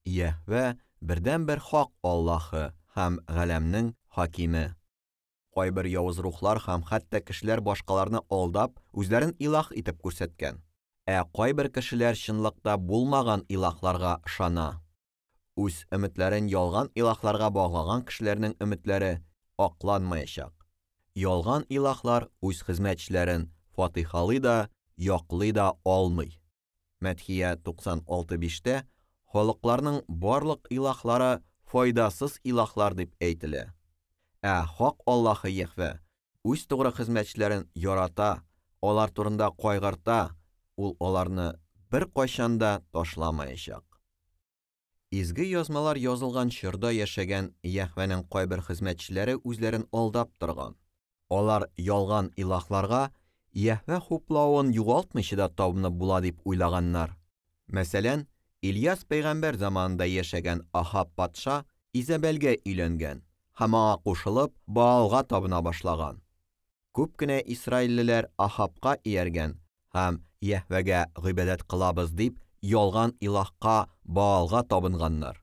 Йәһвә бердәнбер хак Аллаһы һәм галәмнең хакиме. Кайбер явыз рухлар һәм хәтта кешеләр башкаларны алдап, үзләрен илаһ итеп күрсәткән. Ә кайбер кешеләр чынлыкта булмаган илаһларга ышана. Үз өметләрен ялган илаһларга баглаган кешеләрнең өметләре акланмаячак. Ялган илаһлар үз хезмәтчеләрен фатихалый да, яклый да алмый. Мәдхия 96:5-тә халыкларның барлык илаһлары файдасыз илаһлар дип әйтелә. Ә хак Аллаһы Йәһвә үз тугры хезмәтчеләрен ярата, алар турында кайгырта, ул аларны беркайчан да ташламаячак. Изге язмалар язылган чорда яшәгән Йәһвәнең кайбер хезмәтчеләре үзләрен алдап торган. Алар ялган илаһларга Йәһвә хуплавын югалтмыйча да табынып була дип уйлаганнар. Мәсәлән, Ильяс пәйгамбәр заманында яшәгән Ахаб патша Изабелгә өйләнгән һәм аңа кушылып Баалга табына башлаган. Күп кенә исраиллеләр Ахабка ияргән һәм Йәһвәгә гыйбадәт кылабыз дип ялган илаһка Баалга табынганнар.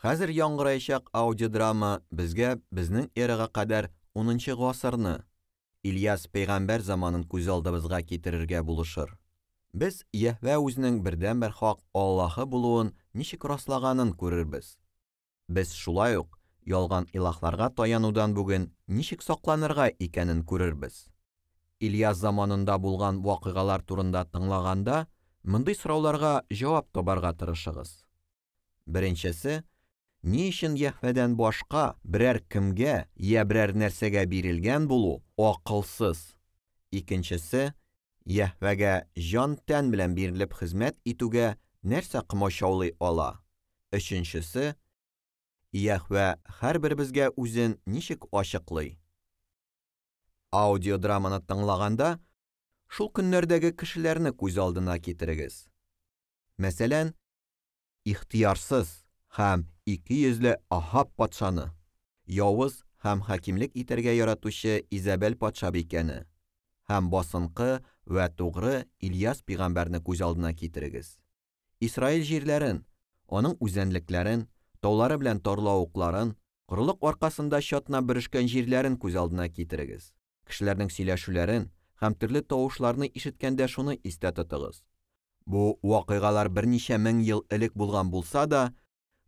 Хәзер яңгыраячак аудиодрама безгә безнең эрага кадәр 10 гасырны, Ильяс пәйгамбәр заманын күз алдыбызга китерергә булышыр. Без Йәһвә үзенең бердәнбер хак Аллаһы булуын ничек раслаганын күрербез. Без шулай ук ялган илаһларга таянудан бүген ничек сакланырга икәнен күрербез. Ильяс заманында булган вакыйгалар турында тыңлаганда, мондый сорауларга җавап табарга тырышыгыз. Беренчесе, ни өчен Йәһвәдән башка берәр кемгә я берәр нәрсәгә бирелгән булу акылсыз? Икенчесе, Йәһвәгә җан-тән белән бирелеп хезмәт итүгә нәрсә комачаулый ала? Өченчесе, Йәһвә һәрберебезгә үзен ничек ачыклый? Аудиодраманы тыңлаганда, шул көннәрдәге кешеләрне күз алдына китерегез. Мәсәлән, ихтыярсыз һәм икейөзле Ахаб патшаны, явыз һәм хакимлек итәргә яратучы Изабел патшабикәне һәм басынкы вә тугры Ильяс пәйгамбәрне күз алдына китерегез. Исраил җирләрен, аның үзәнлекләрен, таулары белән тарлавыкларын, корылык аркасында чатнап бөрешкән җирләрен күз алдына китерегез. Кешеләрнең сөйләшүләрен һәм төрле тавышларны ишеткәндә шуны истә тотыгыз. Бу вакыйгалар берничә мең ел элек булган булса да,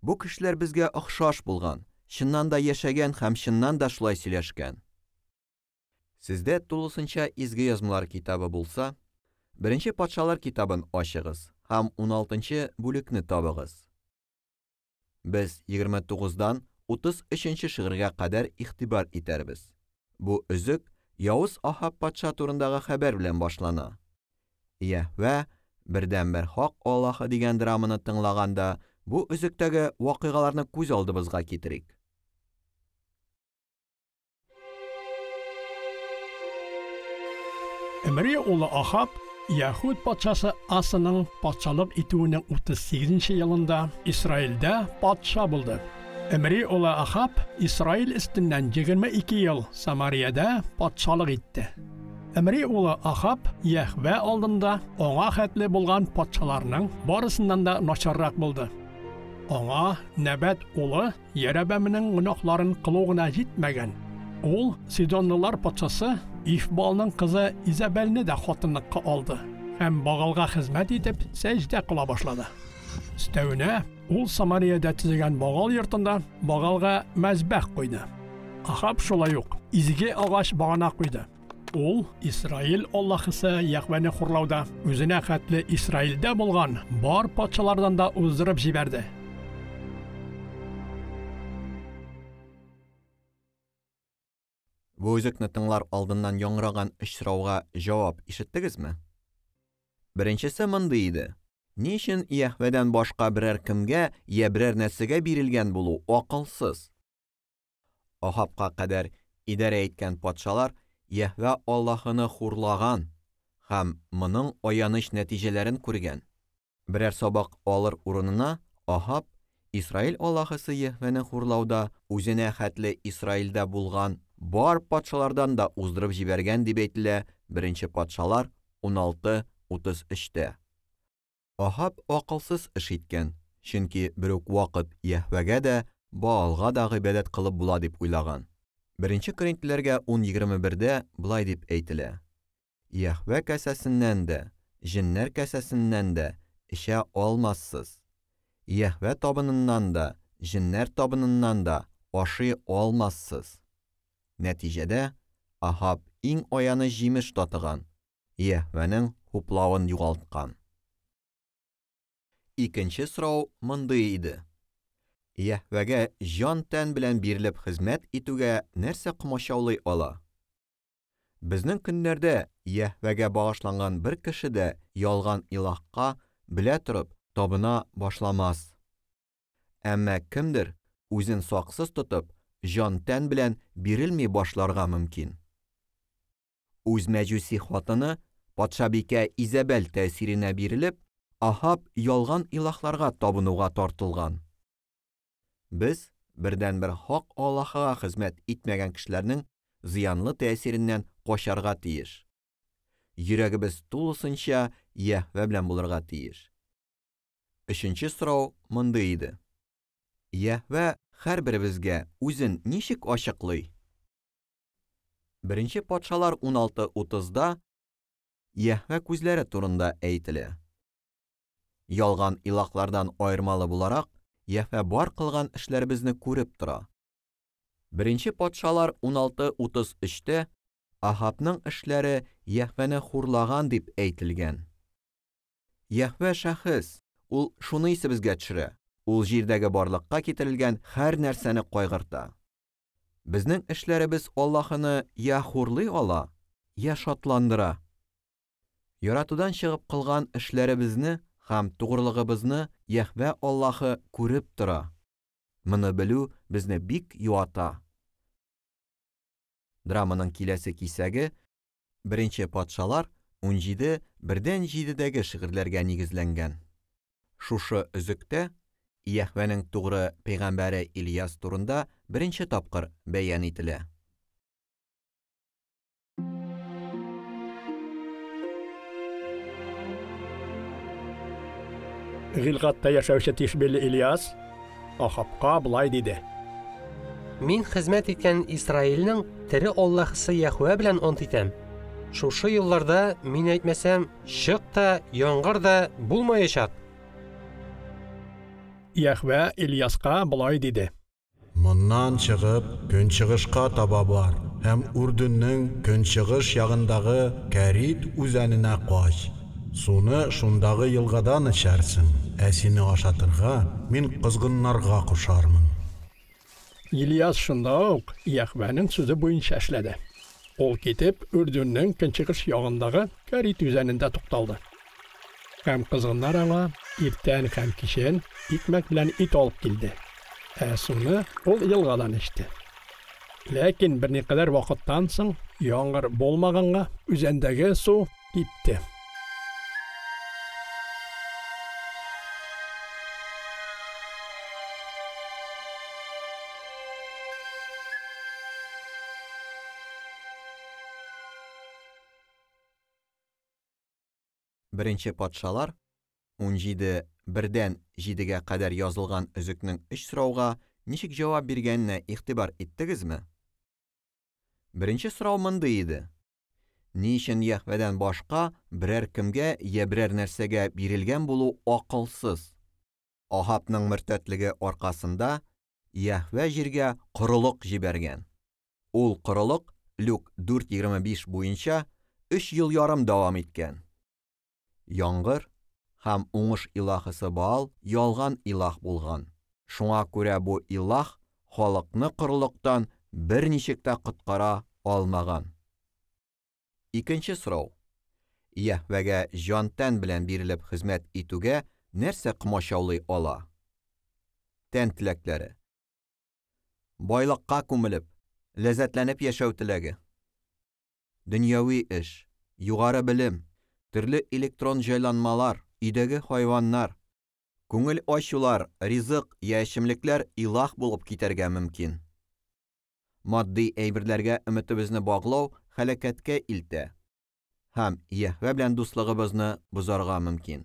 бу кешеләр безгә охшаш булган, чыннан да яшәгән һәм чыннан да шулай сөйләшкән. Сездә тулысынча Изге Язмалар китабы булса, Беренче Патшалар китабын ачыгыз һәм 16 бүлекне табыгыз. Без 29-дан 33 шигырьгә кадәр игътибар итәрбез. Бу өзек явыз Ахаб патша турындагы хәбәр белән башлана. Йәһвә бердәнбер хак Аллаһы дигән драманы тыңлаганда, бу өзектәге вакыйгаларны күз алдыбызга китерик. Имри улы Ахаб Яһүд патшасы Асаның патшалык итүенең 38 елында Исраилдә патша булды. Имри улы Ахаб Исраил өстеннән 22 ел Самариядә патшалык итте. Имри улы Ахаб Йәһвә алдында аңа хәтле булган патшаларның барысыннан да начаррак булды. Аңа Нәбәт улы Ярәбәмнең гөнаһларын кылу гына җитмәгән. Ул Сидонлылар патшасы Ифбалның кызы Изабелне дә хатынлыкка алды һәм Багалга хезмәт итеп сәҗдә кыла башлады. Өстәвенә, ул Самариядә төзегән Багал йортында Багалга мәзбәх куйды. Ахаб шулай ук изге агач багана куйды. Ул Исраил Аллаһысы Йәһвәне хурлауда үзенә хәтле Исраилдә булган бар патшалардан да уздырып җибәрде. Бу өзекне тыңлар алдыннан яңгыраган өч сорауга җавап ишеттегезме? Беренчесе мондый иде: Ни өчен Йәһвәдән башка берәр кемгә я берәр нәрсәгә бирелгән булу акылсыз? Ахабка кадәр идарә иткән патшалар Йәһвә Аллаһыны хурлаган һәм моның аяныч нәтиҗәләрен күргән. Берәр сабак алыр урынына Ахаб Исраил Аллаһысы Йәһвәне хурлауда үзенә хәтле Исраилдә булган бар патшалардан да уздырып җибәргән дип әйтелә Беренче патшалар 16:33-тә. Ахаб акылсыз эш иткән. Чөнки бер үк вакыт Йәһвәгә дә, Баалга да гыйбадәт кылып була дип уйлаган. Беренче Коринфләргә 10:21-дә болай дип әйтелә: Йәһвә касәсеннән дә, җеннәр касәсеннән дә эчә алмассыз. Йәһвә табыныннан да, җеннәр табыныннан да ашый алмассыз. Нәтиҗәдә Ахаб иң аяныч җимеш татыган, Йәһвәнең хуплавын югалткан. Икенче сорау мондый иде: Йәһвәгә җан-тән белән бирелеп хезмәт итүгә нәрсә комачаулый ала? Безнең көннәрдә Йәһвәгә багышланган бер кеше дә ялган илаһка белә торып табына башламас. Әмма кемдер үзен саксыз тотып, җан-тән белән бирелми башларга мөмкин. Үз мәҗүси хатыны патшабикә Изабел тәэсиренә бирелеп, Ахаб ялган илаһларга табынуга тартылган. Без бердәнбер хак Аллаһыга хезмәт итмәгән кешеләрнең зыянлы тәэсиреннән качарга тиеш. Йөрәгебез тулысынча Йәһвә белән булырга тиеш. Өченче сорау мондый иде: Йәһвә һәрберебезгә үзен ничек ачыклый? Беренче патшалар 16:30-да Йәһвә күзләре турында әйтелә. Ялган илаһлардан аермалы буларак, Йәһвә бар кылган эшләребезне күреп тора. Беренче патшалар 16:33-тә Ахабның эшләре Йәһвәне хурлаган дип әйтелгән. Йәһвә шәхес, ул шуны исебезгә төшерә. Ул җирдәге барлыкка китерелгән һәр нәрсәне кайгырта. Безнең эшләребез Аллаһыны я хурлый ала, я шатландыра. Яратудан чыгып кылган эшләребезне һәм тугрылыгыбызны Йәһвә Аллаһы күреп тора. Моны белү безне бик юата. Драманың киләсе кисәге Беренче патшалар 17:1-7-дәге шигырьләргә нигезләнгән. Шушы өзектә Йәһвәнең тугры пәйгамбәре Ильяс турында беренче тапкыр бәян ителә. Гилгатта яшәүче Тишбиле Ильяс Ахабка болай диде: Мин хезмәт иткән Исраилнең тере Аллаһысы Йәһвә белән ант итәм. Шушы елларда мин әйтмәсәм, чык та, яңгыр да булмаячак. Йәһвә Ильяска болай диде: Моннан чыгып, көнчыгышка таба бар һәм Үрдүннең көнчыгыш ягындагы Кәрит үзәненә кач. Суны шундагы елгадан эчәрсең, ә сине ашатырга мин козгыннарга кушармын. Ильяс шунда ук Йәһвәнең сүзе буенча эшләде. Ул китеп Үрдүннең көнчыгыш ягындагы Кәрит үзәнендә тукталды. Һәм кызгыннар аңа иртән һәм кичен икмәк белән ит алып килде. Ә суны ул елгадан эчте. Ләкин берникадәр вакыттан соң яңгыр булмаганга үзәндәге су кипте. Беренче патшалар 17:1-7-гә кадәр язылган өзекнең өч сорауга ничек җавап биргәненә игътибар иттегезме? Беренче сорау мондый иде: Ни өчен Йәһвәдән башка берәр кемгә я берәр нәрсәгә бирелгән булу акылсыз? Ахабның мөртәтлеге аркасында Йәһвә җиргә корылык җибәргән. Ул корылык Люк 4:25 буенча 3 ел ярым дәвам иткән. Яңгыр һәм уңыш илаһысы Баал ялган илаһ булган. Шуңа күрә бу илаһ халыкны корылыктан берничек тә коткара алмаган. Икенче сорау: Йәһвәгә җан-тән белән бирелеп хезмәт итүгә нәрсә комачаулый ала? Тән теләкләре. Байлыкка күмелеп, ләззәтләнеп яшәү теләге. Дөньяви эш, югары белем, төрле электрон җайланмалар, өйдәге хайваннар, күңел ачулар, ризык я эчемлекләр илаһ булып китәргә мөмкин. Матди әйберләргә өметебезне баглау һәлакәткә илтә һәм Йәһвә белән дуслыгыбызны бозарга мөмкин.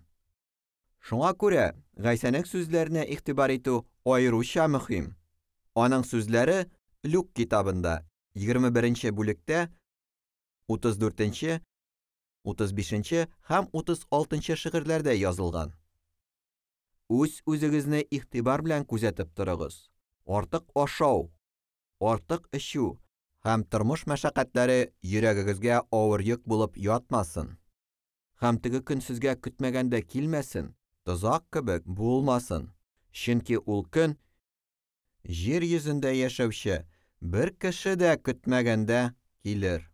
Шуңа күрә Гайсәнең сүзләренә игътибар итү аеруча мөһим. Аның сүзләре Люк китабында 21 бүлектә 34, 35 һәм 36 шигырьләрдә язылган. Үз үзегезне игътибар белән күзәтеп торыгыз. Артык ашау, артык эчү һәм тормыш мәшәкатьләре йөрәгегезгә авыр йөк булып ятмасын. Һәм теге көн сезгә көтмәгәндә килмәсен, тозак кебек булмасын. Чөнки ул көн җир йөзендә яшәүче бер кеше дә көтмәгәндә килер.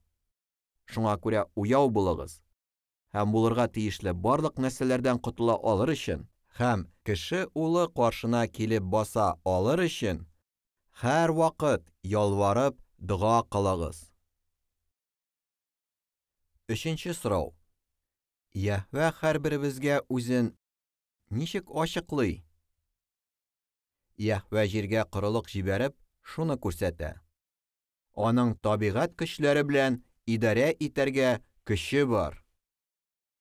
Шуңа күрә уяу булыгыз һәм булырга тиешле барлык нәрсәләрдән котыла алыр өчен һәм кеше улы каршына килеп баса алыр өчен һәр вакыт ялварып дога кылыгыз. Өченче сорау. Йәһвә һәрберебезгә үзен ничек ачыклый? Йәһвә җиргә корылык җибәреп, шуны күрсәтә. Аның табигать көчләре белән идарә итәргә көче бар.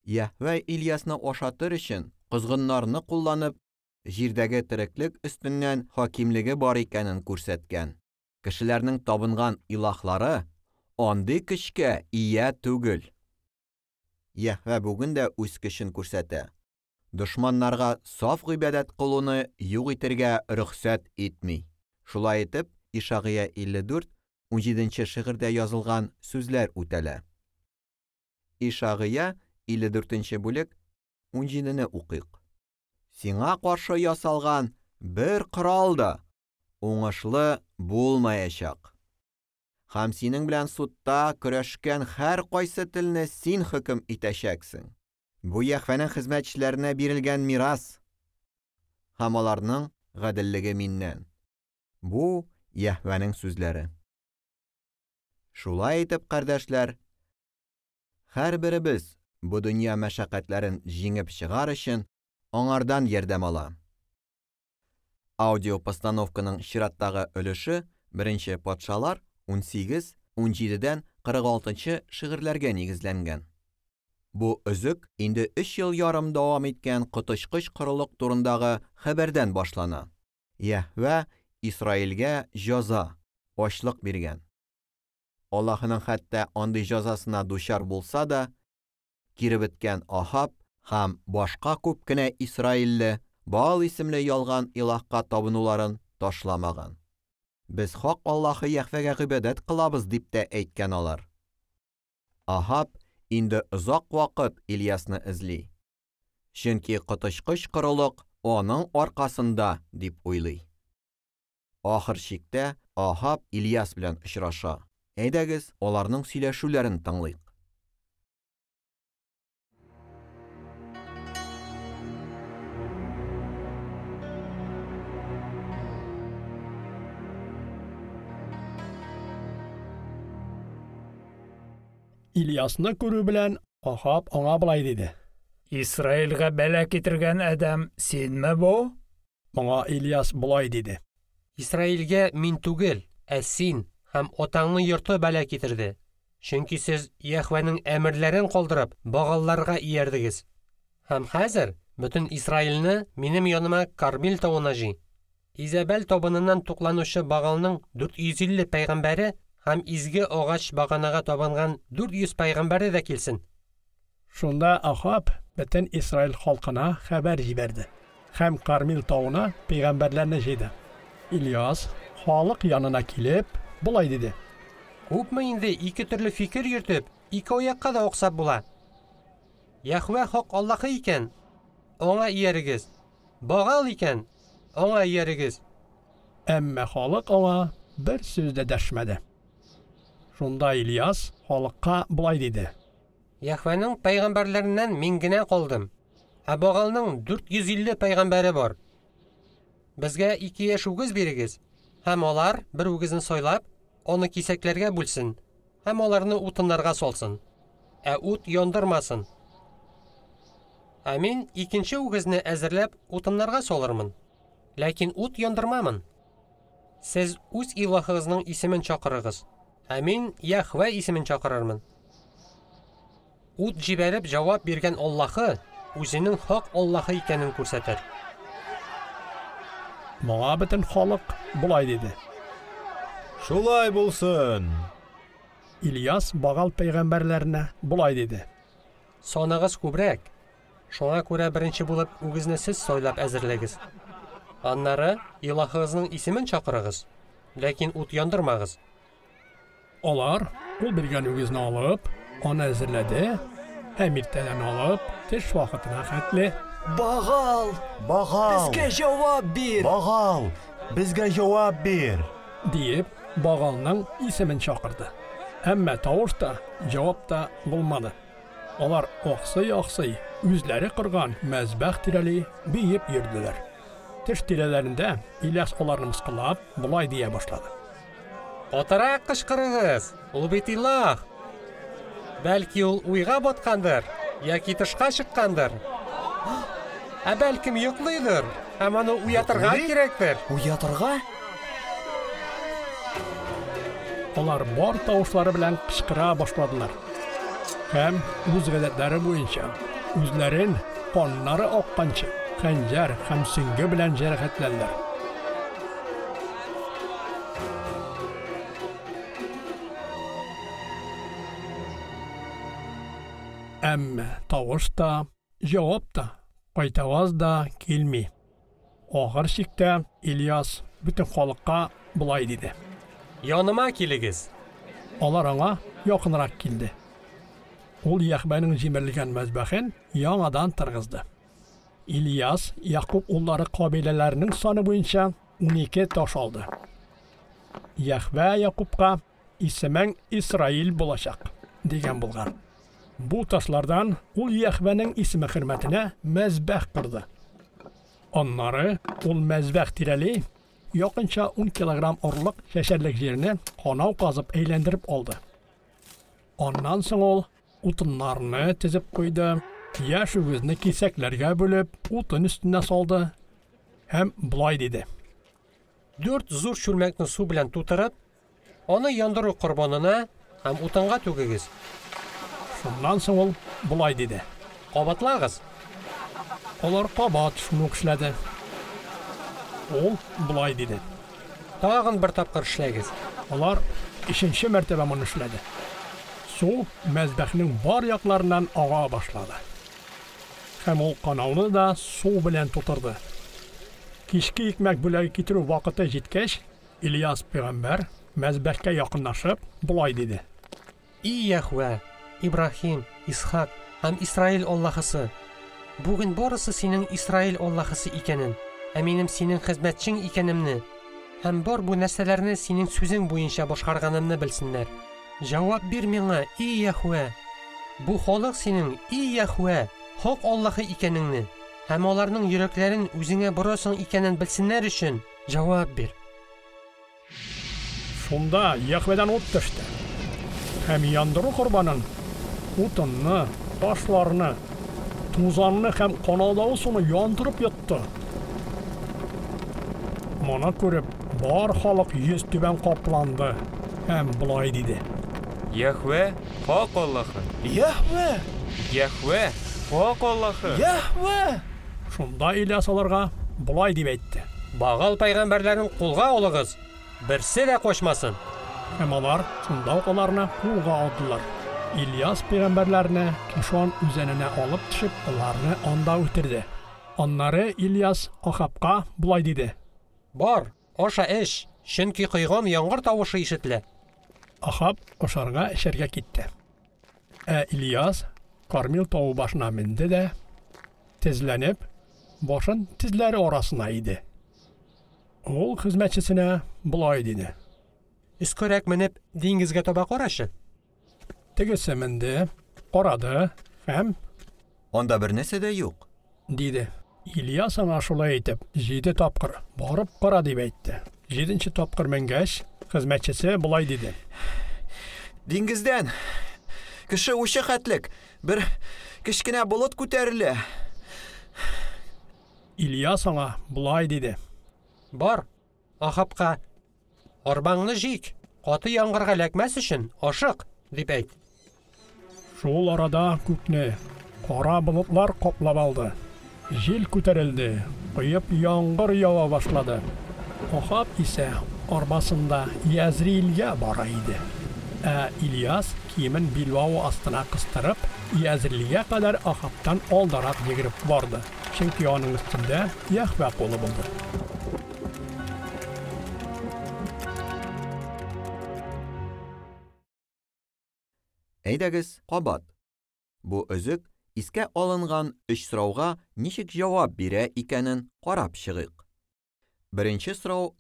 Йәһвә Ильясны ашатыр өчен козгыннарны кулланып, җирдәге тереклек өстеннән хакимлеге бар икәнен күрсәткән. Кешеләрнең табынган илаһлары андый көчкә ия түгел. Йәһвә бүген дә үз көчен күрсәтә. Дошманнарга саф гыйбадәт кылуны юк итәргә рөхсәт итми. Шулай итеп, Ишагыя 54, 17 шигырьдә язылган сүзләр үтәлә. Ишагыя 54 бүлек 17-не укыйк. Сиңа каршы ясалган бер корал да уңышлы булмаячак. Һәм синең белән судта көрәшкән һәр кайсы телне син хөкем итәчәксең. Бу Йәһвәнең хезмәтчеләренә бирелгән мирас һәм аларның гаделлеге миннән. Бу Йәһвәнең сүзләре. Шулай итеп, кардәшләр, һәрберебез бу дөнья мәшәкатьләрен җиңеп чыгар өчен аңардан ярдәм ала. Аудиопостановканың чираттагы өлеше Беренче патшалар 18, 17-дән 46 шигырьләргә нигезләнгән. Бу өзек инде 3 ел ярым дәвам иткән коточкыч корылык турындагы хәбәрдән башлана. Йәһвә Исраилгә җәза, ачлык биргән. Аллаһының хәтта андый җәзасына дучар булса да, кире беткән Ахаб һәм башка күп кенә исраилле Баал исемле ялган илаһка табынуларын ташламаган. Без хак Аллаһы Йәһвәгә гыйбадәт кылабыз дип тә әйткән алар. Ахаб инде озак вакыт Ильясны эзли. Чөнки коточкыч корылык аның аркасында дип уйлый. Ахыр чиктә Ахаб Ильяс белән очраша. Әйдәгез, аларның сөйләшүләрен тыңлыйк. Ильясны күрү белән Ахаб аңа болай диде: Исраилгә бәла китергән адәм синме бу? Моңа Ильяс болай диде: Исраилгә мин түгел, ә син һәм атаңның йорты бәла китерде. Чөнки сез Йәһвәнең әмерләрен калдырып, Багалларга иярдегез. Һәм хәзер бөтен Исраилне минем яныма Кармил тавына җый. Изәбәл табыныннан тукланучы Багалның 450 пәйгамбәре һәм изге агач баганага табынган 400 пәйгамбәре дә килсен. Шунда Ахаб бөтен Исраил халкына хәбәр җибәрде һәм Кармил тавына пәйгамбәрләрне җыйды. Ильяс халык янына килеп, болай диде: Күпме инде ике төрле фикер йөртеп, ике аякка да аксап була. Йәһвә хак Аллаһы икән, аңа иярегез. Багал икән, аңа иярегез. Әмма халык аңа бер сүз дә дәшмәде. Шунда Ильяс халыкка болай диде: Йәһвәнең пәйгамбәрләреннән мин генә калдым. Ә Багалның 450 пәйгамбәре бар. Безгә ике яшь үгез бирегез, һәм алар бер үгезне сайлап, аны кисәкләргә бүлсен һәм аларны утыннарга салсын, ә ут яндырмасын. Ә мин икенче үгезне әзерләп утыннарга салырмын, ләкин ут яндырмамын. Сез үз илаһыгызның исемен чакырыгыз, ә мин Йәһвә исемен чакырырмын. Ут җибәреп җавап биргән Аллаһы үзенең хак Аллаһы икәнен күрсәтер. Моңа бөтен халык болай диде: Шулай булсын. Ильяс Багал пәйгамбәрләренә болай диде: Саныгыз күбрәк. Шуңа күрә беренче булып үгезне сез сайлап әзерләгез. Аннары илаһыгызның исемен чакырыгыз, ләкин ут яндырмагыз. Алар ул биргән үгезне алып, аны әзерләде һәм иртәдән алып төш вакытына хәтле Багал! Багал! Безгә җавап бир! Багал! Безгә җавап бир! диеп Багалның исемен чакырды. Әмма тавыш та, җавап та булмады. Алар аксый-аксый үзләре корган мәзбәх тирәли биеп йөрделәр. Төш тирәләрендә Ильяс аларны мыскыллап болай дия башлады. Катырак кычкырыгыз, ул бит илаһ. Бәлки ул уйга баткандыр, яки тышка чыккандыр. Ә бәлкем йоклыйдыр, һәм аны уятырга Йоклый? кирәктер. Уятырга? Алар бар тавышлары белән кычкыра башладылар. Һәм үз гадәтләре буенча үзләрен каннары акканчы хәнҗәр һәм сөңге белән җәрәхәтләделәр. Әмма тавыш та, җавап та, кайтаваз да килми. Ахыр чиктә Ильяс бөтен халыкка болай диде. Яныма килегез. Алар аңа якынрак килде. Ул Йәһвәнең җимерелгән мәзбәхен яңадан торгызды. Ильяс Якуб уллары кабиләләренең саны буенча 12 таш алды. Йәһвә Якубка исемең Исраил булачак дигән булган. Бу ташлардан ул Йәһвәнең исеме хөрмәтенә мәзбәх корды. Аннары ул мәзбәх тирәли якынча 10 килограмм орлык чәчәрлек җирне канау казып әйләндереп алды. Аннан соң ул утыннарны тезеп куйды, яшь үгезне кисәкләргә бүлеп, утын өстенә салды һәм болай диде. 4 зур чүлмәкне су белән тутырып, аны яндыру корбанына һәм утынга түгегез. Шуннан соң ул болай диде. Кабатлагыз. Алар кабат шуны ук эшләде. Ул болай диде. Тагын бер тапкыр эшләгез. Алар өченче мәртәбә моны эшләде. Су мәзбәхнең бар якларыннан ага башлады. Һәм ул канауны да су белән тутырды. Кичке икмәк бүләге китерү вакыты җиткәч, Ильяс пәйгамбәр мәзбәхкә якынлашып болай диде. И Йәһвә, Ибраһим, Исхак һәм Исраил Аллаһысы, бүген барысы синең Исраил Аллаһысы икәнен, ә минем синең хезмәтчең икәнемне һәм бар бу нәрсәләрне синең сүзең буенча башкарганымны белсеннәр. Җавап бир миңа, и Йәһвә. Бу халык синең, и Йәһвә, хак Аллаһы икәнеңне һәм аларның йөрәкләрен үзеңә борасың икәнен белсеннәр өчен җавап бир. Шунда Йәһвәдән ут төште. Һәм яндыру корбанын, утынны, ташларны, тузанны һәм канаудагы суны яндырып йотты. Моны күреп, бар халык йөз түбән капланды һәм болай диде. Йәһвә хак Аллаһы. Йәһвә! Йәһвә хак Аллаһы. Йәһвә! Шунда Ильяс аларга болай дип әйтте. Багал пәйгамбәрләрен кулга алыгыз, берсе дә качмасын. Һәм алар шунда ук аларны кулга алдылар. Ильяс пәйгамбәрләрне Кишон үзәненә алып төшеп, аларны анда үтерде. Аннары Ильяс Ахабка болай диде. Бар, аша эч, чөнки койган яңгыр тавышы ишетелә. Ахаб ашарга эчәргә китте. Ә Ильяс Кармил тавы башына менде дә, тезләнеп, башын тезләре арасына иде. Ул хезмәтчесенә болай диде. Өскәрәк менеп, диңгезгә таба карашы. Тегесе менде, карады һәм Анда бер нәрсә дә юк. диде. Ильяс аңа шулай итеп, 7 тапкыр барып кара дип әйтте. 7нче тапкыр менгәч, хезмәтчесе болай диде. Диңгездән кеше учы хәтлек бер кечкенә болыт күтәрелә. Ильяс аңа болай диде. Бар, Ахабка, арбаңны җик, каты яңгырга эләкмәс өчен ашык, дип әйт. Шул арада күкне, Кара болытлар каплап алды. Җил күтәрелде, коеп яңгыр ява башлады. Ахаб исә арбасында Язриилгә бара иде. Ә Ильяс киемен билбавы астына кыстырып, Язриилгә кадәр Ахабтан алдарак йөгереп барды, чөнки аның өстендә Йәһвә кулы булды. Әйдәгез, кабат. Бу өзек искә алынган өч сорауга ничек җавап бирә икәнен карап чыгыйк. Беренче сорау: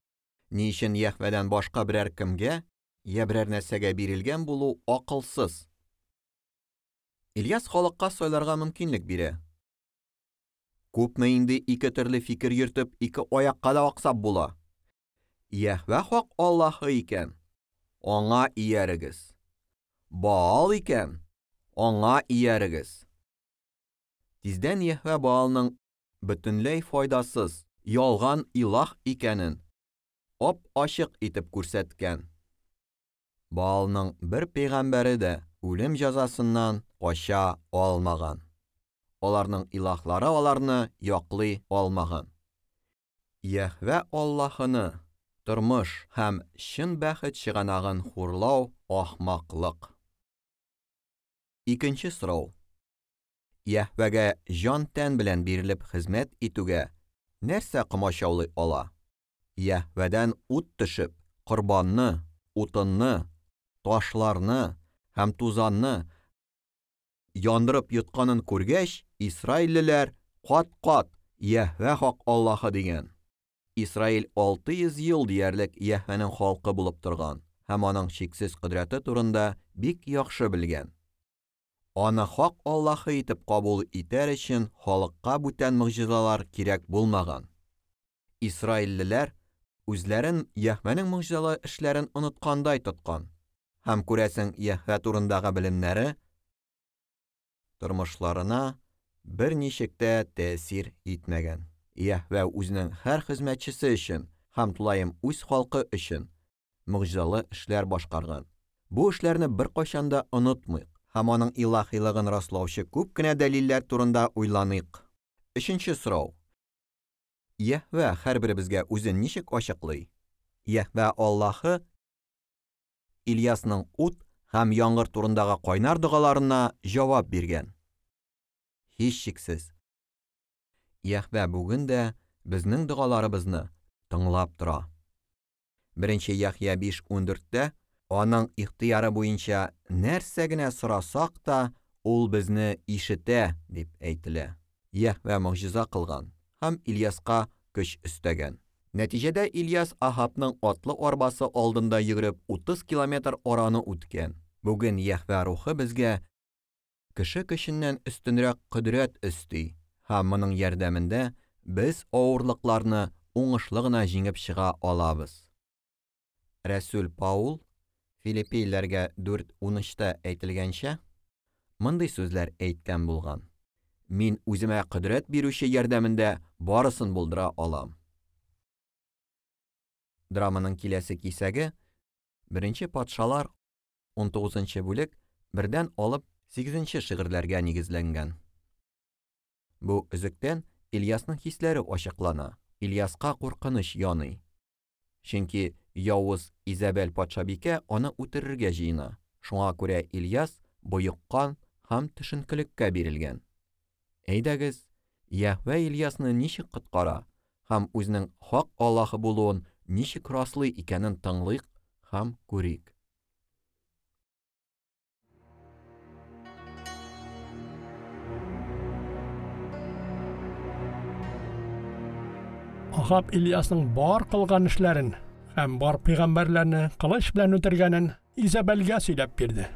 ни өчен Йәһвәдән башка берәр кемгә я берәр нәрсәгә бирелгән булу акылсыз? Ильяс халыкка сайларга мөмкинлек бирә. Күпме инде ике төрле фикер йөртеп, ике аякка да аксап була. Йәһвә хак Аллаһы икән, аңа иярегез. Баал икән, аңа иярегез. Тиздән Йәһвә Баалның бөтенләй файдасыз, ялган илаһ икәнен ап-ачык итеп күрсәткән. Баалның бер пәйгамбәре дә үлем җәзасыннан кача алмаган. Аларның илаһлары аларны яклый алмаган. Йәһвә Аллаһыны, тормыш һәм чын бәхет чыганагын хурлау ахмаклык. Икенче сорау. Йәһвәгә җан-тән белән бирелеп хезмәт итүгә нәрсә комачаулый ала? Йәһвәдән ут төшеп, корбанны, утынны, ташларны һәм тузанны яндырып йотканын күргәч, исраиллеләр кат-кат Йәһвә хак Аллаһы дигән. Исраил 600 ел диярлек Йәһвәнең халкы булып торган һәм аның чиксез кодрәте турында бик яхшы белгән. Аны хак Аллаһы итеп кабул итәр өчен халыкка бүтән могҗизалар кирәк булмаган. Исраиллеләр үзләрен Йәһвәнең могҗизалы эшләрен оныткандай тоткан һәм күрәсең Йәһвә турындагы белемнәре тормышларына берничек тә тәэсир итмәгән. Йәһвә үзенең һәр хезмәтчесе өчен һәм тулаем үз халкы өчен могҗизалы эшләр башкарган. Бу эшләрне беркайчан да онытмыйк һәм аның илаһилыгын раслаучы күп кенә дәлилләр турында уйланыйк. Өченче сорау. Йәһвә һәрберебезгә үзен ничек ачыклый? Йәһвә Аллаһы Ильясның ут һәм яңгыр турындагы кайнар догаларына җавап биргән. Һичшиксез, Йәһвә бүген дә безнең догаларыбызны тыңлап тора. 1 Яхъя 5:14-тә аның ихтыяры буенча нәрсә генә сорасак та, ул безне ишетә дип әйтелә. Йәһвә могҗиза кылган һәм Ильяска көч өстәгән. Нәтиҗәдә Ильяс Ахабның атлы арбасы алдында йөгереп 30 километр араны үткән. Бүген Йәһвә рухы безгә кеше көченнән өстенрәк кодрәт өсти һәм моның ярдәмендә без авырлыкларны уңышлы гына җиңеп чыга алабыз. Рәсүл Паул Филиппиләргә 4:13-тә әйтелгәнчә, мондый сүзләр әйткән булган: Мин үземә кодрәт бирүче ярдәмендә барысын булдыра алам. Драманың киләсе кисәге 1 Патшалар 19 бүлек 1-дән алып 8 шигырьләргә нигезләнгән. Бу өзектән Ильясның хисләре ачыклана. Ильяска куркыныч яный. Чөнки явыз Изабель патшабикә аны үтерергә җыена. Шуңа күрә Ильяс боеккан һәм төшенкелеккә бирелгән. Әйдәгез, Йәһвә Ильясны ничек коткара һәм үзенең хак Аллаһы булуын ничек раслый икәнен тыңлыйк һәм күрик. Ахаб Ильясның бар кылган эшләрен һәм бар пәйгамбәрләрне кылыч белән үтергәнен Изабелгә сөйләп бирде.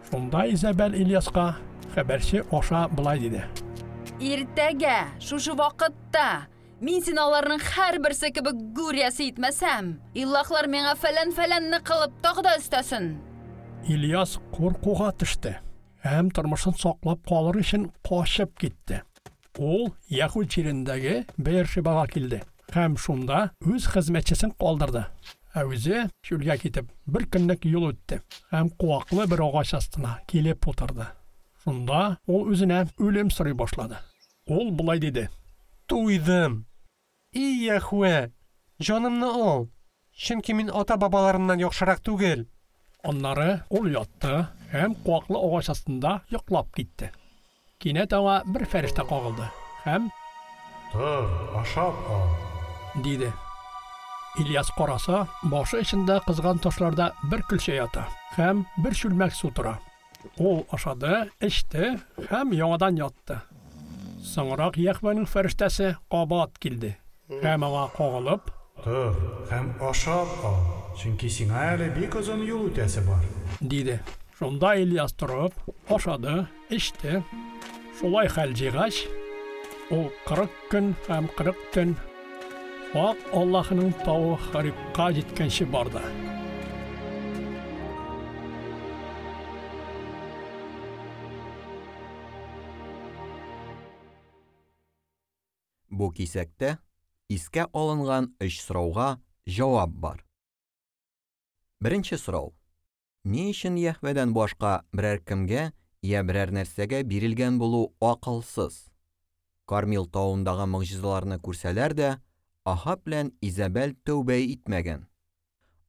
Шунда Изабел Ильяска хәбәрче аша былай диде: Иртәгә шушы вакытта мин сине аларның һәрберсе кебек гүр иясе итмәсәм, илаһлар миңа фәлән-фәләнне кылып тагы да өстәсен. Ильяс куркуга төште һәм тормышын саклап калыр өчен качып китте. Ул Яһүд җирендәге Беершибага килде һәм шунда үз хезмәтчесен калдырды. Ә үзе чүлгә китеп бер көнлек юл үтте һәм куаклы бер агач астына килеп утырды. Шунда ул үзенә үлем сорый башлады. Ул болай диде: Туйдым. И Яһвә, җанымны ал, чөнки мин ата-бабаларымнан яхшырак түгел. Аннары ул ятты һәм куаклы агач астында йоклап китте. Кинәт аңа бер фәрештә кагылды һәм: Тор, ашап ал, диде. Ильяс караса, башы эчендә кызган ташларда бер көлчә ята һәм бер чүлмәк су тора. Ул ашады, эчте һәм яңадан ятты. Соңрак Йәһвәнең фәрештәсе кабат килде һәм аңа кагылып: Тор һәм ашап ал, чөнки сиңа әле бик озын юл үтәсе бар, диде. Шунда Ильяс торып, ашады, эчте. Шулай хәл җыйгач, ул 40 көн һәм 40 төн Хак Аллаһының тавы Хорибка җиткәнче барды. Бу кисәктә искә алынган өч сорауга җавап бар. Беренче сорау. Ни өчен Йәһвәдән башка берәр кемгә я берәр нәрсәгә бирелгән булу акылсыз? Кармил тавындагы могҗизаларны күрсәләр дә, Ахаб белән Изабел тәүбә итмәгән.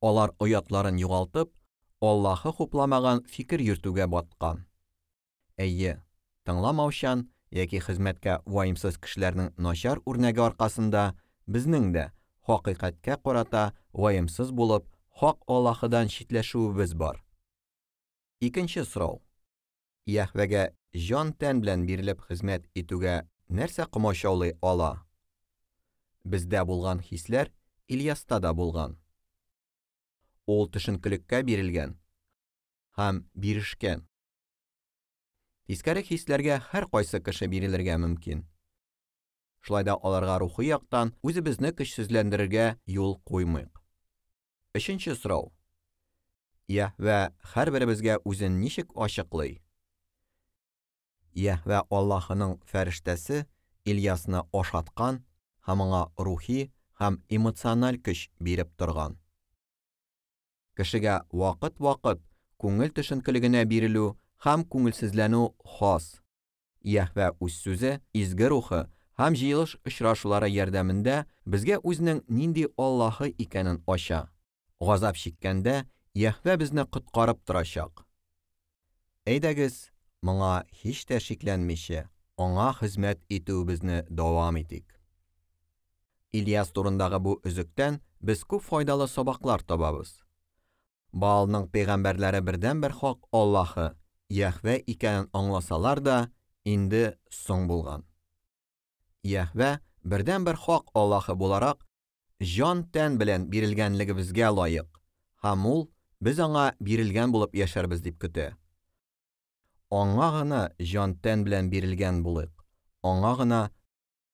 Алар оятларын югалтып, Аллаһы хупламаган фикер йөртүгә баткан. Әйе, тыңламаучан яки хезмәткә ваемсыз кешеләрнең начар үрнәге аркасында безнең дә хакыйкатькә карата ваемсыз булып, хак Аллаһыдан читләшүебез бар. Икенче сорау. Йәһвәгә җан-тән белән бирелеп хезмәт итүгә нәрсә комачаулый ала? Бездә булган хисләр Ильяста да булган. Ул төшенкелеккә бирелгән һәм бирешкән. Тискәре хисләргә һәр кайсы кеше бирелергә мөмкин. Шулай да аларга рухи яктан үзебезне көчсезләндерергә юл куймыйк. Өченче сорау. Йәһвә һәрберебезгә үзен ничек ачыклый? Йәһвә Аллаһының фәрештәсе Ильясны ашаткан һәм аңа рухи һәм эмоциональ көч биреп торган. Кешегә вакыт-вакыт күңел төшенкелегенә бирелү һәм күңелсезләнү хас. Йәһвә үз сүзе, изге рухы һәм җыелыш очрашулары ярдәмендә безгә үзенең нинди Аллаһы икәнен ача. Газап чиккәндә Йәһвә безне коткарып торачак. Әйдәгез, моңа һич тә шикләнмичә, аңа хезмәт итүебезне дәвам итик. Ильяс турындагы бу өзектән без күп файдалы сабаклар табабыз. Баалның пәйгамбәрләре бердәнбер хак Аллаһы, Йәһвә икәнен аңласалар да, инде соң булган. Йәһвә бердәнбер хак Аллаһы буларак җан-тән белән бирелгәнлегебезгә лаек, һәм ул без аңа бирелгән булып яшәрбез дип көтә. Аңа гына җан-тән белән бирелгән булыйк, аңа гына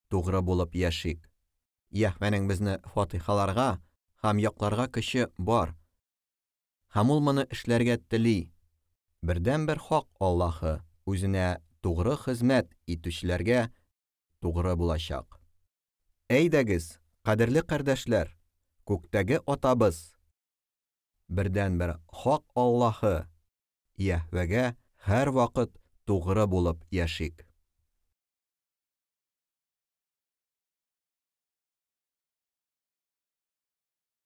тугры булып яшик. Йәһвәнең безне фатихаларга һәм якларга көче бар. Һәм ул моны эшләргә тели. Бердәнбер хак Аллаһы үзенә тугры хезмәт итүчеләргә тугры булачак. Әйдәгез, кадерле кардәшләр, күктәге атабыз, бердәнбер хак Аллаһы, Йәһвәгә һәр вакыт тугры булып яшик.